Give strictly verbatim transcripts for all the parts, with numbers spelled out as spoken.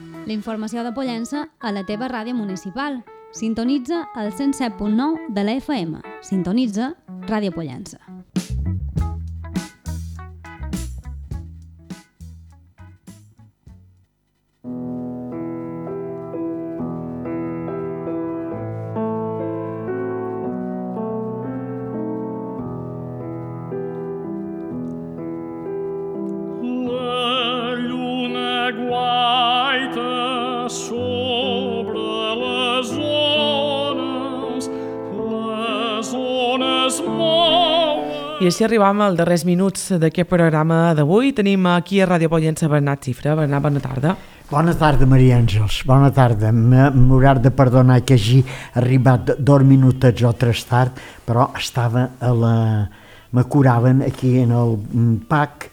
La informació de Pollença a la teva ràdio municipal. Sintonitza el cent set punt nou de la F M. Sintonitza Ràdio Pollença. I així arribam als darrers minuts d'aquest programa d'avui. Tenim aquí a Ràdio Pollença Bernat Cifra. Bernat, bona tarda. Bona tarda, Maria Àngels. Bona tarda. M'haurà de perdonar que hagi arribat dos minutets o tres tard, però estava a la... me curaven aquí en el P A C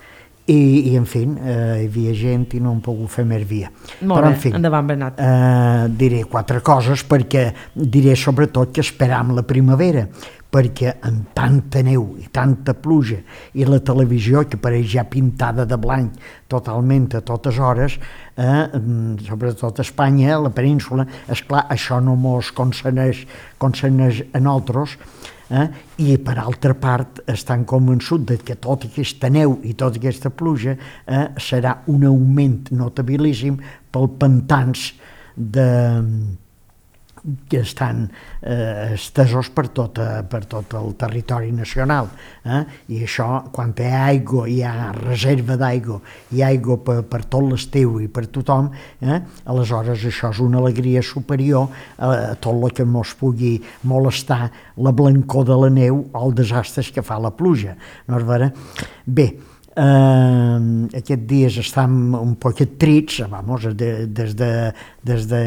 i, i en fi, eh, hi havia gent i no hem pogut fer més via. Molt però, bé, en fi, endavant, Bernat. Eh, diré quatre coses perquè diré sobretot que esperam la primavera, perquè amb tanta neu i tanta pluja i la televisió que pareix ja pintada de blanc totalment a totes hores, eh, sobretot a Espanya, a la península, esclar, això no mos concerneix, concerneix a nosaltres, eh, i per altra part estan convençuts de que tota aquesta neu i tota aquesta pluja eh, serà un augment notabilíssim pel pantans de... que estan eh, estesos per tot, per tot el territori nacional. Eh? I això, quan hi ha aigua, hi ha reserva d'aigua, hi ha aigua per, per tot l'estiu i per tothom, eh? aleshores això és una alegria superior a tot el que ens pugui molestar la blancor de la neu o els desastres que fa la pluja. No és vera? Bé, Uh, aquests dies estem un poquet trits, vamos, de, des de des de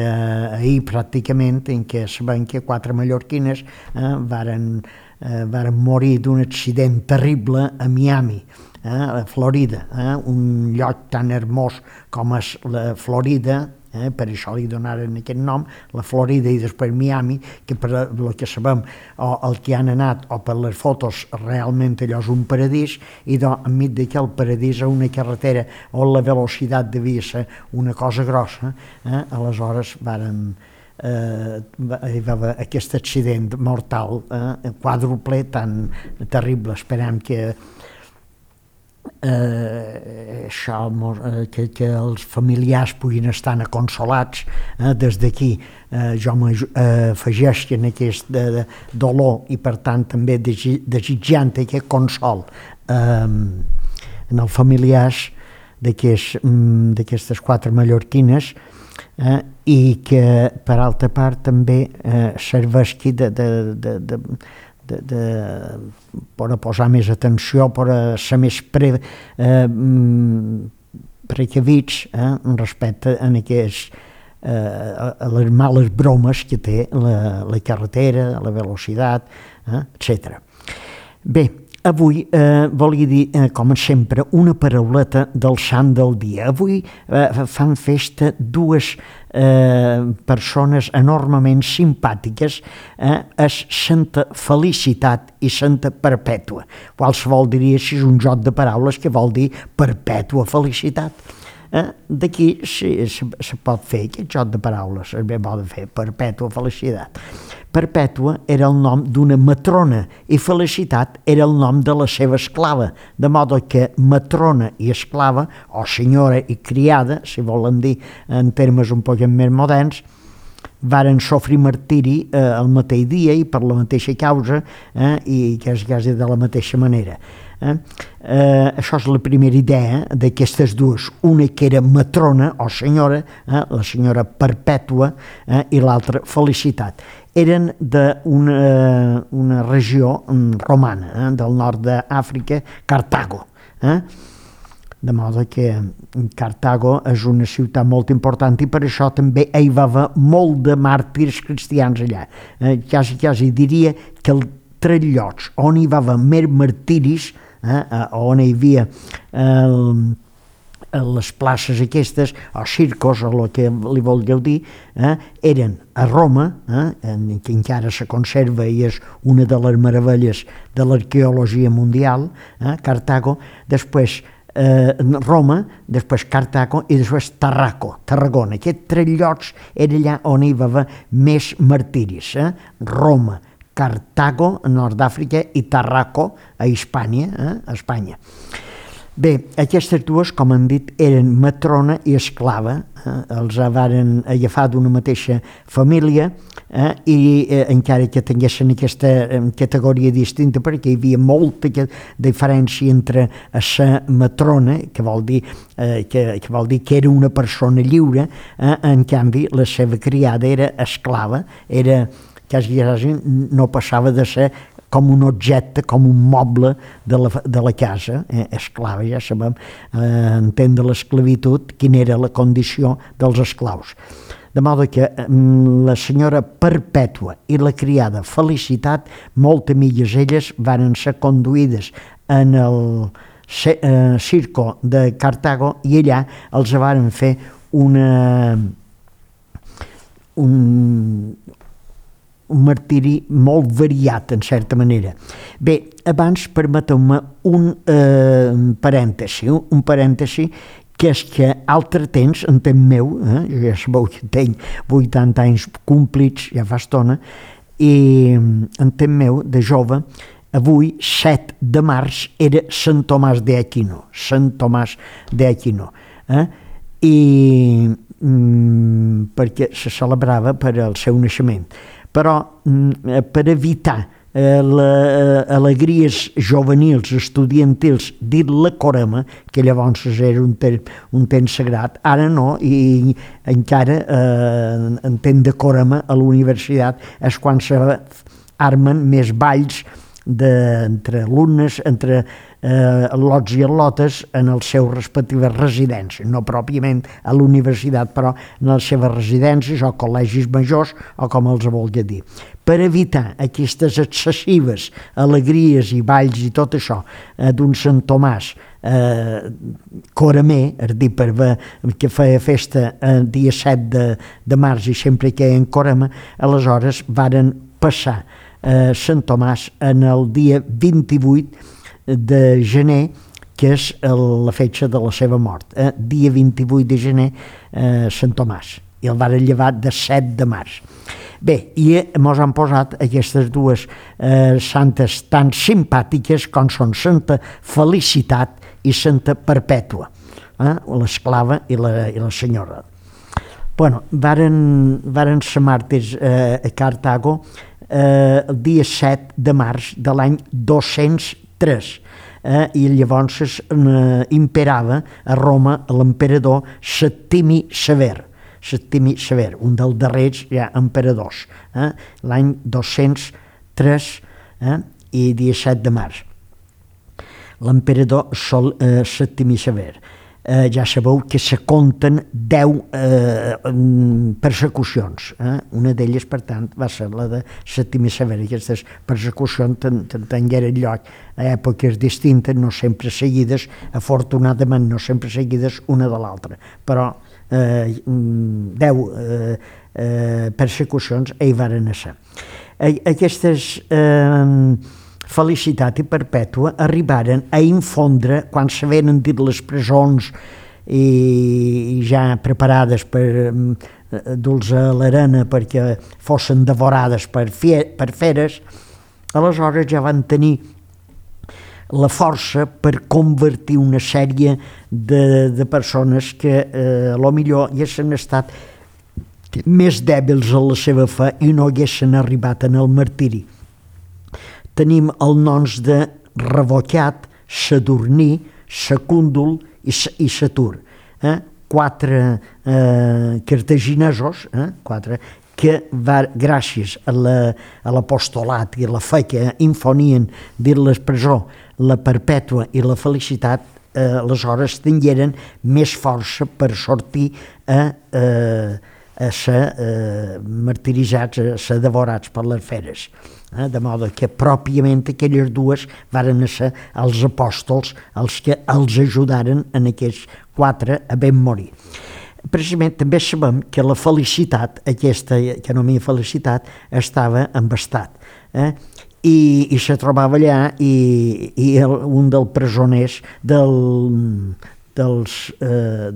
ahir pràcticament, en què sabem que quatre mallorquines eh, varen, eh, varen morir d'un accident terrible a Miami, eh, a Florida, eh, un lloc tan hermós com és la Florida. Eh, per això li donaren aquest nom, la Florida i després Miami, que per el que sabem o el que han anat o per les fotos realment allò és un paradís, i doncs enmig d'aquell paradís a una carretera on la velocitat devia ser una cosa grossa, eh, aleshores varen eh, hi va haver aquest accident mortal, eh, quàdruple tan terrible. Esperem que Eh, això, eh, que, que els familiars puguin estar consolats. Eh, des d'aquí eh, jo m'afegeix en aquest de, de dolor i per tant també desitjant aquest consol eh, en els familiars d'aquestes quatre mallorquines, eh, i que per altra part també eh, serveixi de, de, de, de De, de, per a posar més atenció, per a ser més pre, eh, precavits eh, respecte a, aquests, eh, a, a les males bromes que té la, la carretera, la velocitat, eh, etcètera. Bé, avui eh, volia dir, eh, com sempre, una parauleta del sant del dia. Avui eh, fan festa dues eh, persones enormement simpàtiques, eh, és Santa Felicitat i Santa Perpètua. Qualsevol diria si és un joc de paraules que vol dir perpètua felicitat. Eh, d'aquí se, se, se pot fer aquest joc de paraules, es bé pot fer perpètua felicitat. Perpètua era el nom d'una matrona i Felicitat era el nom de la seva esclava, de modo que matrona i esclava, o senyora i criada, si volen dir en termes un poc més moderns, varen sofrir martiri eh, el mateix dia i per la mateixa causa, eh, i quasi, quasi de la mateixa manera. Eh? Eh, això és la primera idea d'aquestes dues, una que era matrona o senyora, eh, la senyora Perpètua, eh, i l'altra Felicitat. Eren d'una una regió romana, eh, del nord d'Àfrica, Cartago. Eh? De modo que Cartago és una ciutat molt important i per això també hi va haver molt de màrtirs cristians allà. Eh, quasi, quasi diria que el tres llocs on hi va haver més martiris, eh, on hi havia eh, les places aquestes, o circos, o el que li vulgueu dir, eh, eren a Roma, eh, que encara se conserva i és una de les meravelles de l'arqueologia mundial, eh, Cartago, després eh, Roma, després Cartago i després Tarraco, Tarragona. Aquests tres llocs era allà on hi va haver més martiris. Eh? Roma, Cartago, a Nord d'Àfrica, i Tarraco, a Hispània, eh? a Espanya. Bé, aquestes dues, com hem dit, eren matrona i esclava, eh? els varen agafar d'una mateixa família, eh? i eh, encara que tinguessin aquesta eh, categoria distinta, perquè hi havia molta diferència entre la matrona, que vol dir, eh, que, que vol dir que era una persona lliure, eh? en canvi la seva criada era esclava, era quasi, quasi no passava de ser com un objecte, com un moble de la, de la casa, eh, esclava, ja sabem, eh, entendre l'esclavitud, quina era la condició dels esclaus. De modo que eh, la senyora Perpètua i la criada Felicitat, moltes milles elles, van ser conduïdes en el eh, circo de Cartago i allà els varen fer una... un... un martiri molt variat, en certa manera. Bé, abans permeteu-me un eh, parèntesi, un parèntesi que és que altre temps, en temps meu, eh, jo ja sabeu que tenc vuitanta anys complits, ja fa estona, i en temps meu, de jove, avui, set de març, era Sant Tomàs d'Aquino, Sant Tomàs d'Aquino, eh? I mm, perquè se celebrava per al seu naixement. Però per evitar eh, les alegries juvenils, estudiantils, dit la corema, que llavors era un, te un temps sagrat, ara no, i encara eh, en temps de corema a la universitat és quan s'armen més balls de, entre alumnes, entre eh, lots i al·lotes en les seves respectives residències, no pròpiament a la universitat, però en les seves residències o col·legis majors o com els vulgui dir. Per evitar aquestes excessives alegries i balls i tot això eh, d'un Sant Tomàs eh, coramer, és dir, per ver que feia festa el dia set de, de març i sempre que en corama, aleshores varen passar eh, Sant Tomàs en el dia vint-i-vuit de gener, que és el, la fetge de la seva mort. Eh? Dia vint-i-vuit de gener, eh, Sant Tomàs, i el varen llevar de set de març. Bé, i mos han posat aquestes dues eh, santes tan simpàtiques com són Santa Felicitat i Santa Perpètua, eh? l'esclava i la, i la senyora. Bueno, varen, varen ser màrtirs eh, a Cartago eh, el dia set de març de l'any dos-cents tres, eh, i llavors eh, imperava a Roma l'emperador Septimi Sever, Septimi Sever, un dels darrers ja emperadors, eh, l'any dos-cents tres eh, i dia set de març. L'emperador Sol, eh, Septimi Sever. Eh, ja sabeu que se compten deu eh, persecucions. Eh? Una d'elles, per tant, va ser la de Septimi Sever. Aquestes persecucions tingueren lloc a èpoques distintes, no sempre seguides, afortunadament no sempre seguides una de l'altra, però eh, deu eh, eh, persecucions hi varen ser. Aquestes eh, Felicitat i Perpètua arribaren a infondre, quan se venen dit les presons i ja preparades per dur-los a l'arena perquè fossin devorades per, per feres, aleshores ja van tenir la força per convertir una sèrie de, de persones que eh, a lo millor haguessin estat més dèbils en la seva fe i no haguessin arribat en el martiri. Tenim els noms de Revocat, Sadurní, Secúndul i, i Satur. Eh? Quatre eh, cartaginesos, eh? quatre, que va, gràcies a l'apostolat i a la fe que infonien dins la presó, la Perpètua i la Felicitat, eh, aleshores tingueren més força per sortir a, eh, a ser eh, martiritzats, a ser devorats per les feres. Eh, de modo que pròpiament aquelles dues varen ser els apòstols els que els ajudaren en aquests quatre a ben morir. Precisament també sabem que la Felicitat, aquesta que anomia Felicitat, estava embastat. Eh? i, i se trobava allà i, i el, un dels presoners del, dels eh,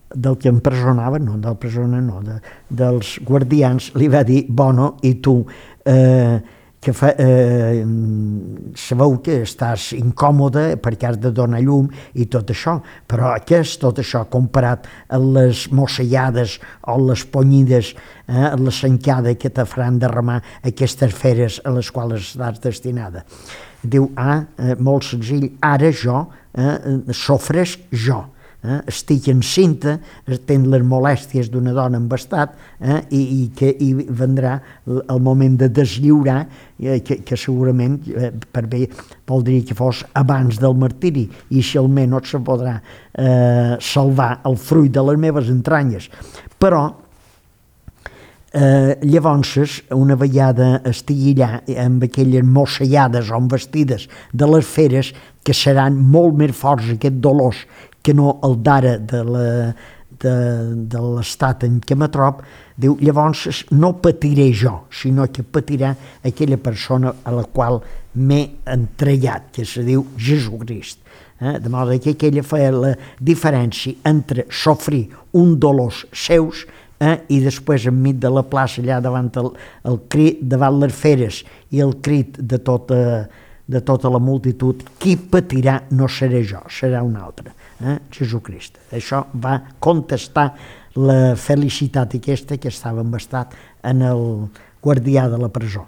del que empresonava, no, del presoner no, de, dels guardians, li va dir, bueno, i tu, eh, que fa, eh, sabeu que estàs incòmode perquè has de donar llum i tot això, però què és tot això comparat a les mossellades o les ponyides, eh, a la sencada que te faran derramar aquestes feres a les quals estàs destinada? Diu, ah, eh, molt senzill, ara jo eh, sofresc jo. Eh, estic encinta, tenc les molèsties d'una dona embastat eh, i, i que i vendrà el moment de deslliurar eh, que, que segurament eh, per bé voldria que fos abans del martiri i si almenys se podrà eh, salvar el fruit de les meves entranyes. Però eh, llavors una vegada estigui allà amb aquelles mossellades o vestides de les feres que seran molt més forts aquests dolors que no el d'ara de l'estat en què me trob, diu, llavors no patiré jo, sinó que patirà aquella persona a la qual m'he entregat, que se diu Jesucrist. Eh? De modo que aquella feia la diferència entre sofrir un dolors seus eh? i després enmig de la plaça allà davant el, el crit, davant les feres i el crit de tota, de tota la multitud, qui patirà no seré jo, serà un altre. Eh? Jesucrist. Això va contestar la felicitat aquesta que estava embastat en el guardià de la presó.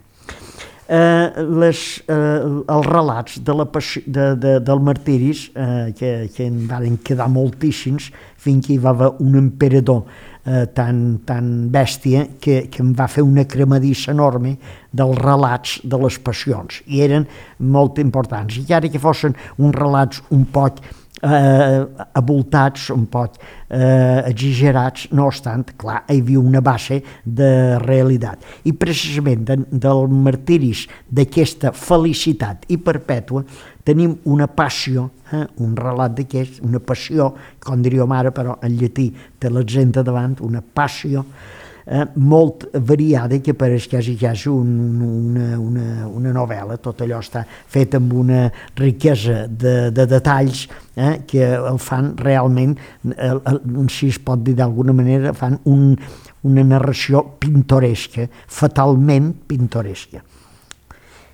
Eh, les, eh, els relats de la passió, de, de, del martiris, eh, que, que en van quedar moltíssims, fins que hi va haver un emperador eh, tan, tan bèstia que, que em va fer una cremadissa enorme dels relats de les passions, i eren molt importants. I ara que fossin uns relats un poc Eh, avoltats, un poc eh, exagerats, no obstant, clar, hi havia una base de realitat. I precisament de, del martiris d'aquesta felicitat i perpètua tenim una passió, eh, un relat d'aquest, una passió, com diríem ara, però en llatí té l'accent davant, una passió, Eh, molt variada, que pareix quasi, quasi un, una, una, una novel·la. Tot allò està fet amb una riquesa de, de detalls eh, que el fan realment, eh, si es pot dir d'alguna manera, fan un, una narració pintoresca, fatalment pintoresca.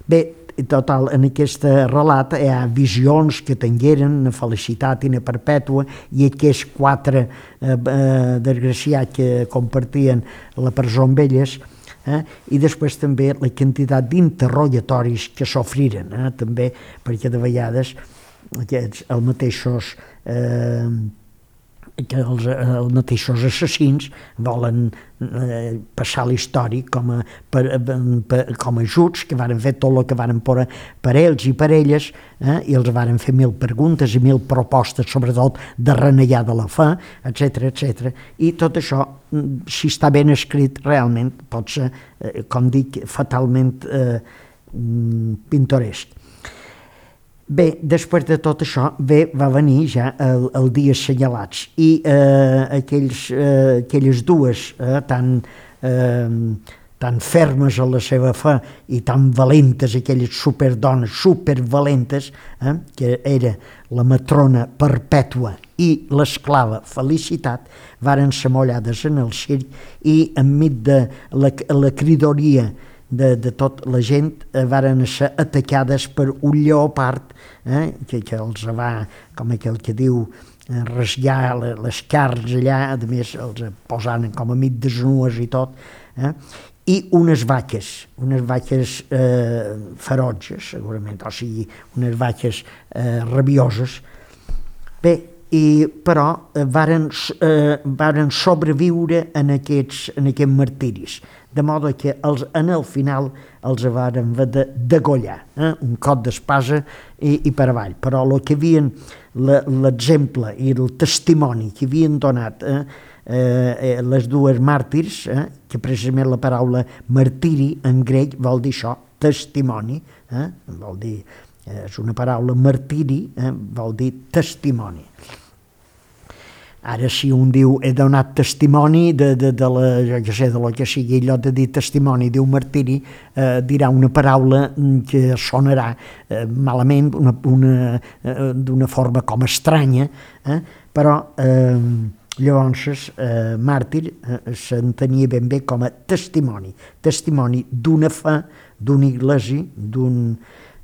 Bé, total, en aquest relat hi ha visions que tingueren una felicitat i una perpètua, i aquests quatre eh, eh, desgraciats que compartien la presó amb elles, eh, i després també la quantitat d'interrogatoris que s'ofriren, eh, també, perquè de vegades aquests, els mateixos eh, que els, els mateixos assassins volen eh, passar l'història com a, per, per, com a ajuts, que varen fer tot el que varen per, per ells i per elles, eh, i els varen fer mil preguntes i mil propostes, sobretot de renegar de la fe, etcètera, etcètera. I tot això, si està ben escrit, realment pot ser, eh, com dic, fatalment eh, pintoresc. Bé, després de tot això, bé, va venir ja el, el dia assenyalats, i eh, aquells, eh, aquelles dues eh, tan, eh, tan fermes a la seva fe i tan valentes, aquelles superdones supervalentes, eh, que era la matrona Perpètua i l'esclava Felicitat, varen ser mollades en el circ, i enmig de la, la cridoria de, de tota la gent eh, varen ser atacades per un lleopard eh, que, que els va, com aquell que diu, eh, rasgar les carns allà, a més els posant com a mig desnues i tot, eh, i unes vaques, unes vaques eh, ferotges, segurament, o sigui, unes vaques eh, rabioses. Bé, i, però eh, varen, eh, varen sobreviure en aquests, en aquests martiris, de modo que els, en el final els varen haver de degollar, eh? un cop d'espasa i, i per avall. Però el que havien, l'exemple i el testimoni que havien donat eh, eh, les dues màrtirs, eh, que precisament la paraula martiri en grec vol dir això, testimoni, eh? vol dir, eh, és una paraula martiri, eh, vol dir testimoni. Ara, si un diu he donat testimoni de, de, de la, jo què sé, de lo que sigui, allò de dir testimoni d'un martiri, eh, dirà una paraula que sonarà eh, malament, una, una, eh, d'una forma com estranya, eh? Però eh, llavors eh, màrtir eh, s'entenia ben bé com a testimoni, testimoni d'una fe, d'una iglesia, d'un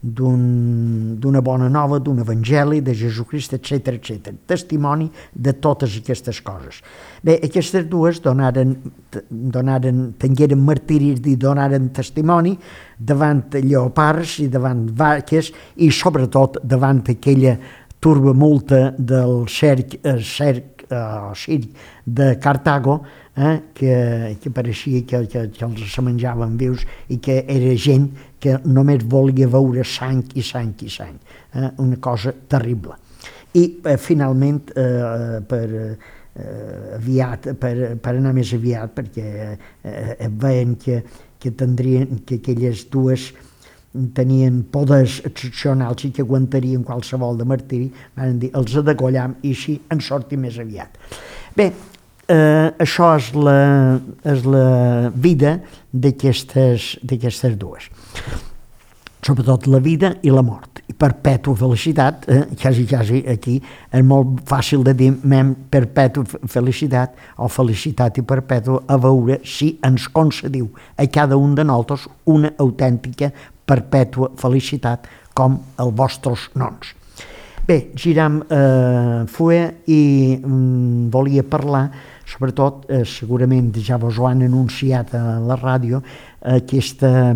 d'una bona nova, d'un evangeli, de Jesucrist, etcètera, etcètera. Testimoni de totes aquestes coses. Bé, aquestes dues donaren, donaren, tingueren martiris i donaren testimoni davant lleopards i davant vaques i sobretot davant aquella turbamulta del cerc, eh, cerc eh, circ de Cartago, eh, que, que pareixia que, que, que els se menjaven vius i que era gent que només volia veure sang i sang i sang. Eh, una cosa terrible. I eh, finalment, eh, per, eh, aviat, per, per anar més aviat, perquè eh, veien que, que, tindrien, que aquelles dues tenien poders excepcionals i que aguantarien qualsevol de martiri, van dir, els adegollam i així en sortir més aviat. Bé, eh, això és la, és la vida d'aquestes d'aquestes dues. Sobretot la vida i la mort. I perpètua felicitat, eh, quasi, quasi aquí, és molt fàcil de dir mem perpètua felicitat o felicitat i perpètua, a veure si ens concediu a cada un de nosaltres una autèntica perpètua felicitat com els vostres noms. Bé, giram eh, fue i mm, volia parlar, sobretot, eh, segurament ja vos ho han anunciat a la ràdio, eh, aquesta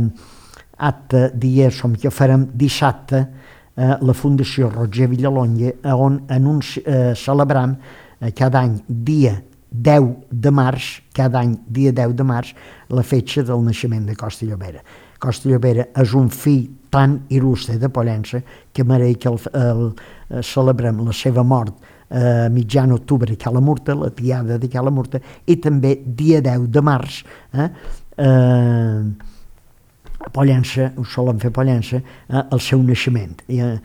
acte diguéssim que farem dissabte eh, la Fundació Roger Villalonga, on anunci, eh, celebram eh, cada any dia deu de març, cada any dia deu de març, la fetge del naixement de Costa Llobera. Costa Llobera és un fill tan il·lustre de Pollença que mereix que el, el, el, celebrem la seva mort a eh, mitjan octubre a Cala Murta, la tiada de Cala Murta, i també dia deu de març, eh, eh, a Pollença, ho solen fer a Pollença, eh, el seu naixement. I, eh,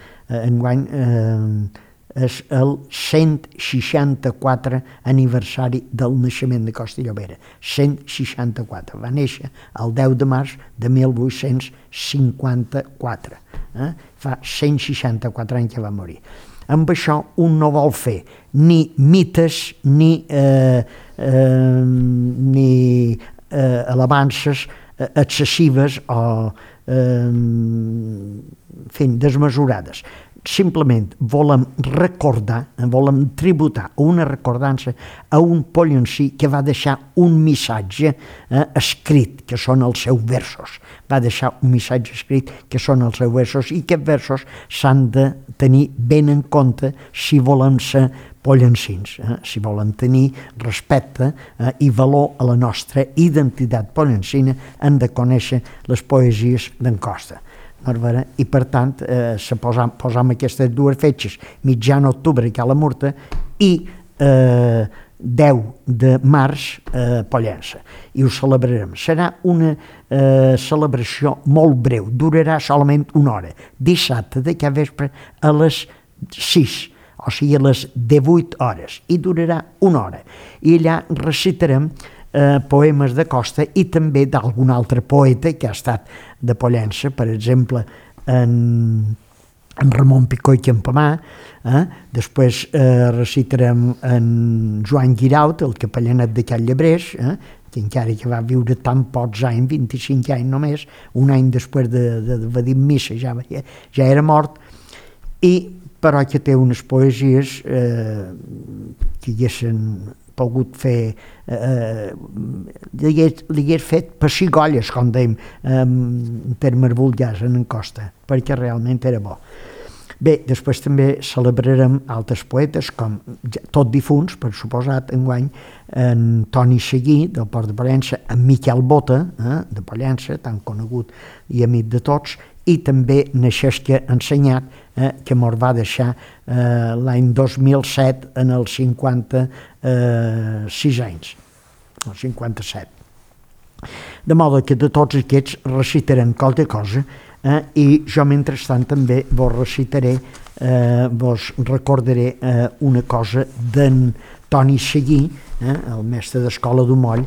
enguany eh, és el cent seixanta-quatre aniversari del naixement de Costa Llobera. cent seixanta-quatre. Va néixer el deu de març de mil vuit-cents cinquanta-quatre. Eh? Fa cent seixanta-quatre anys que va morir. Amb això un no vol fer ni mites ni, eh, eh, ni eh, alabances eh, excessives o eh, fent desmesurades. Simplement volem recordar, volem tributar una recordança a un pollencí que va deixar un missatge eh, escrit, que són els seus versos. Va deixar un missatge escrit, que són els seus versos, i aquests versos s'han de tenir ben en compte si volem ser pollencins, eh? Si volen tenir respecte eh, i valor a la nostra identitat pollencina, han de conèixer les poesies d'en Costa. I per tant eh, se posam, posam aquestes dues fetges, mitjan octubre a Cala Murta i eh, deu de març a Pollença, i ho celebrarem. Serà una eh, celebració molt breu, durarà solament una hora, dissabte de cada vespre a les sis, o sigui a les divuit hores, i durarà una hora. I allà recitarem Eh, poemes de Costa i també d'algun altre poeta que ha estat de Pollença, per exemple en, en Ramon Picó i Campamà, eh? Després eh, recitarem en Joan Guiraut, el capellanet de Can Llebrés, eh? que encara que va viure tan pocs anys, vint-i-cinc anys només, un any després de, de, de dir missa ja, ja era mort, i però que té unes poesies eh, que haguessin pogut fer, eh, li hagués fet pessigolles, com dèiem, eh, en termes vulgars en Costa, perquè realment era bo. Bé, després també celebrarem altres poetes, com tot difunts, per suposat, enguany, en Toni Seguí, del Port de Pollença, en Miquel Bota, eh, de Pollença, tan conegut i amic de tots, i també Naixesca Ensenyat, eh, que mos va deixar eh, l'any dos mil set en els cinquanta-sis anys, o cinquanta-set. De modo que de tots aquests recitarem qualque cosa, eh, i jo mentrestant també vos recitaré, eh, vos recordaré eh, una cosa d'en Toni Seguí, eh, el mestre d'escola d'Umoll,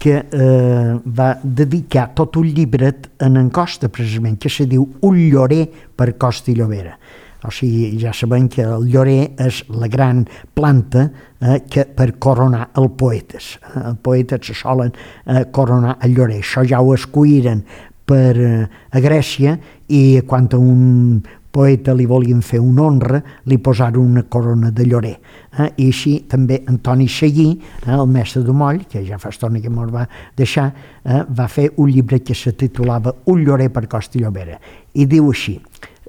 que eh, va dedicar tot un llibret en en Costa, precisament, que se diu Un llorer per Costa i Llobera. O sigui, ja sabem que el llorer és la gran planta eh, que per coronar el poetes. Eh, el poetes se solen eh, coronar el llorer. Això ja ho escolliren per, eh, a Grècia, i quan a un poeta li volien fer una honra, li posaren una corona de llorer. Eh? I així també Antoni Seguí, eh, el mestre d'Umoll, que ja fa estona que me'l va deixar, eh, va fer un llibre que se titulava Un llorer per Costa i Llobera. I diu així,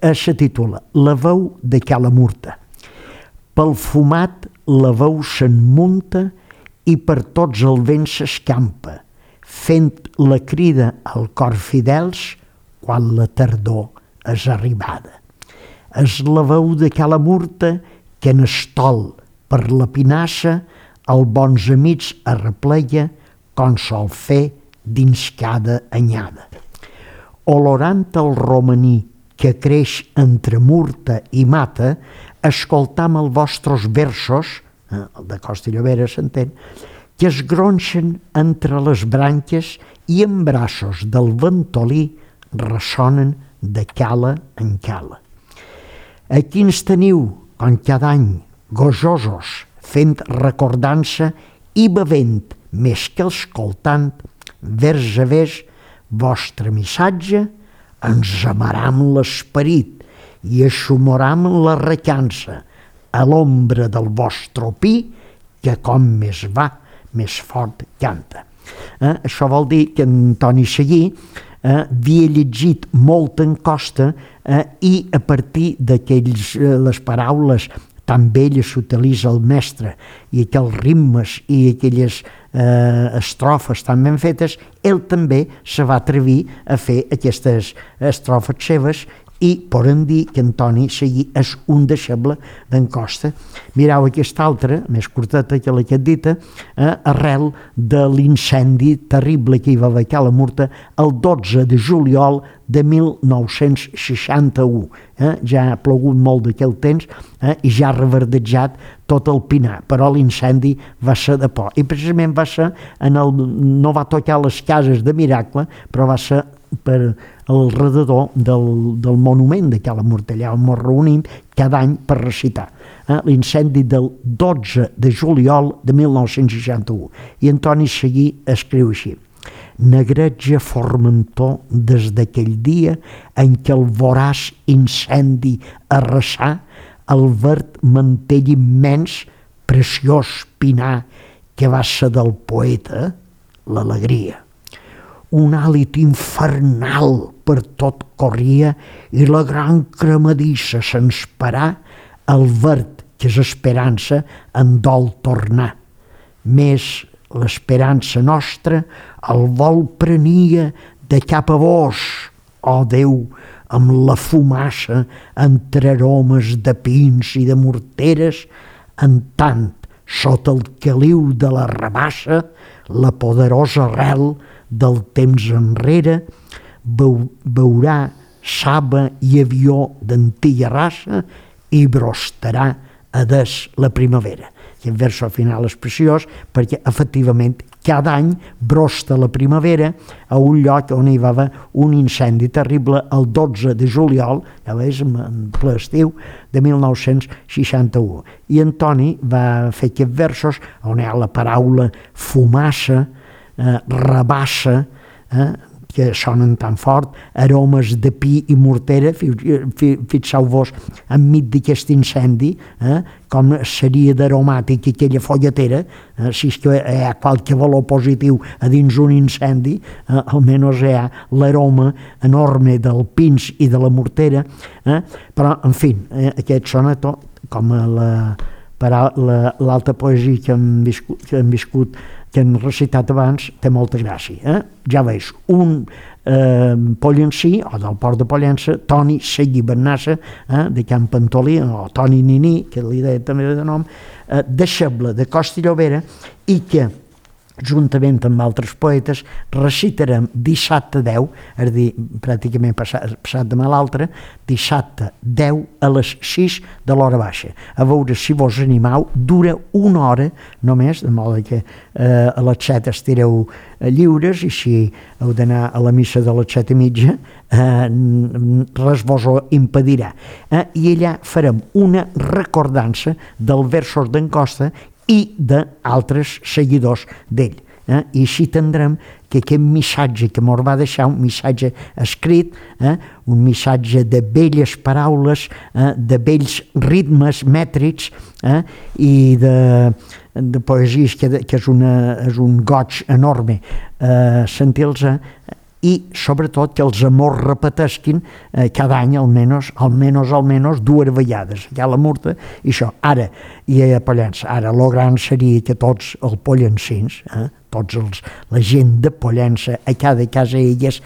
eh, se titula La veu de Cala Murta. Pel fumat la veu se'n munta i per tots el vent s'escampa, fent la crida al cor fidels quan la tardor és arribada. És la veu de Cala Murta que en estol per la pinassa els bons amics arreplega com sol fer dins cada anyada. Olorant el romaní que creix entre Murta i Mata, escoltam els vostres versos, eh, el de Costa i Llobera s'entén, que es gronxen entre les branques i en braços del ventolí ressonen de cala en cala. Aquí ens teniu, com cada any, gojosos, fent recordança i bevent, més que escoltant, vers a vers, vostre missatge, ens amaram l'esperit i assumoram la recança a l'ombra del vostre pi, que com més va, més fort canta. Eh? Això vol dir que Antoni Seguí eh, havia llegit molt en Costa eh, i a partir d'aquelles eh, les paraules tan belles s'utilitza el mestre i aquells ritmes i aquelles eh, estrofes tan ben fetes, ell també se va atrevir a fer aquestes estrofes seves i podem dir que Antoni Seguí és un deixeble d'en Costa. Mireu aquesta altra, més curteta que la que et dita, eh, arrel de l'incendi terrible que hi va haver a Cala Murta el dotze de juliol de mil nou-cents seixanta-u. Eh? Ja ha plogut molt d'aquell temps eh? i ja ha reverdejat tot el pinar, però l'incendi va ser de por. I precisament va ser, en el, no va tocar les cases de Miracle, però va ser per al redador del, del monument de Cala Murta, allà on ens reunim cada any per recitar. Eh? L'incendi del dotze de juliol de mil nou-cents seixanta-u. I Antoni Seguí escriu així: negreja formentor des d'aquell dia en què el voraç incendi arrasà el verd mantell immens, preciós pinar que va ser del poeta l'alegria. Un hàlit infernal per tot corria i la gran cremadissa se'ns parà, el verd que és esperança en dol tornar. Més l'esperança nostra el vol prenia de cap a vos, ó Déu, amb la fumassa entre aromes de pins i de morteres, en tant, sota el caliu de la rabassa, la poderosa arrel del temps enrere, veu, veurà saba i avió d'antiga raça i brostarà a des la primavera. Aquest verso final és preciós perquè efectivament cada any brosta la primavera a un lloc on hi va haver un incendi terrible el dotze de juliol, ja veus, en ple estiu, de mil nou-cents seixanta-u. I Antoni va fer aquests versos on hi ha la paraula fumassa, eh, rabassa, eh, que sonen tan fort, aromes de pi i mortera, fixeu-vos enmig d'aquest incendi, eh, com seria d'aromàtic aquella folletera, eh, si és que hi ha qualque valor positiu a dins un incendi, eh, almenys hi ha l'aroma enorme del pins i de la mortera, eh, però, en fi, eh, aquest sonetó, com la, la, l'altra poesia que hem viscut, que hem viscut que hem recitat abans, té molta gràcia. Eh? Ja veus, un eh, pollencí, o del port de Pollença, Toni Seguí Bernassa, eh, de Can Pantolí, o Toni Niní, que li deia també de nom, eh, deixeble de Costa i Llobera, i que juntament amb altres poetes, recitarem dissabte deu, és a dir, pràcticament passat, passat demà l'altre, dissabte deu a les sis de l'hora baixa. A veure si vos animau, dura una hora només, de modo que eh, a les set estireu lliures i si heu d'anar a la missa de les set i mitja, eh, res vos ho impedirà. Eh, I allà farem una recordança dels versos d'en Costa i d'altres seguidors d'ell. Eh? I així tindrem que aquest missatge que ens va deixar, un missatge escrit, eh? un missatge de belles paraules, eh? de bells ritmes mètrics eh? i de, de poesies, que, que és, una, és un goig enorme eh, sentir-los, i sobretot que els amors repetesquin eh, cada any almenys, almenys, almenys dues vegades, ja la Murta i això. Ara, i a Pollença, ara el gran seria que tots els pollencins, eh, tots els, la gent de Pollença, a cada casa ell és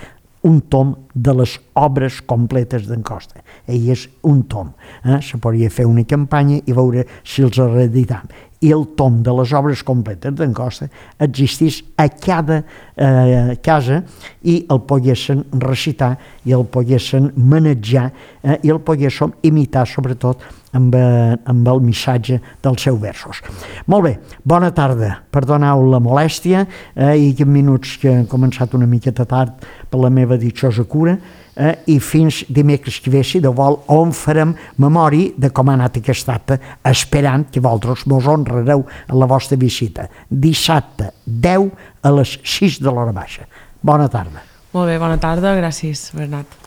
un tom de les obres completes d'en Costa. Ell és un tom. Eh? Se podria fer una campanya i veure si els reeditam. I el tom de les obres completes d'en Costa existís a cada eh, casa i el poguessin recitar i el poguessin manejar eh, i el poguessin imitar sobretot amb, eh, amb el missatge dels seus versos. Molt bé, bona tarda, perdoneu la molèstia eh, i aquests minuts que han començat una miqueta tard per la meva ditxosa cura eh, i fins dimecres que ve, si de vol, on farem memòria de com ha anat aquest acte, esperant que vosaltres vos honrareu a la vostra visita. Dissabte deu a les sis de l'hora baixa. Bona tarda. Molt bé, bona tarda, gràcies, Bernat.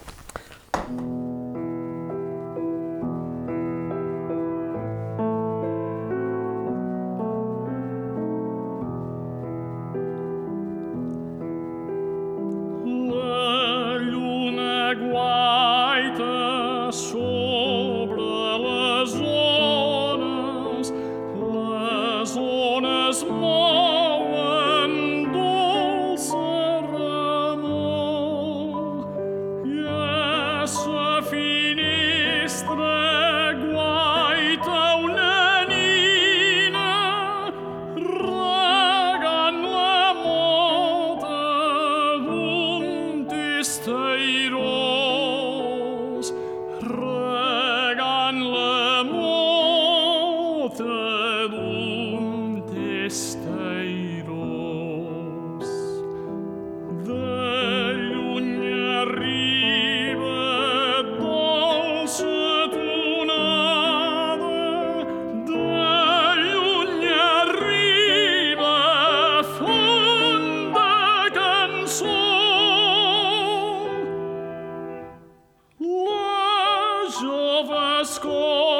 Jove escola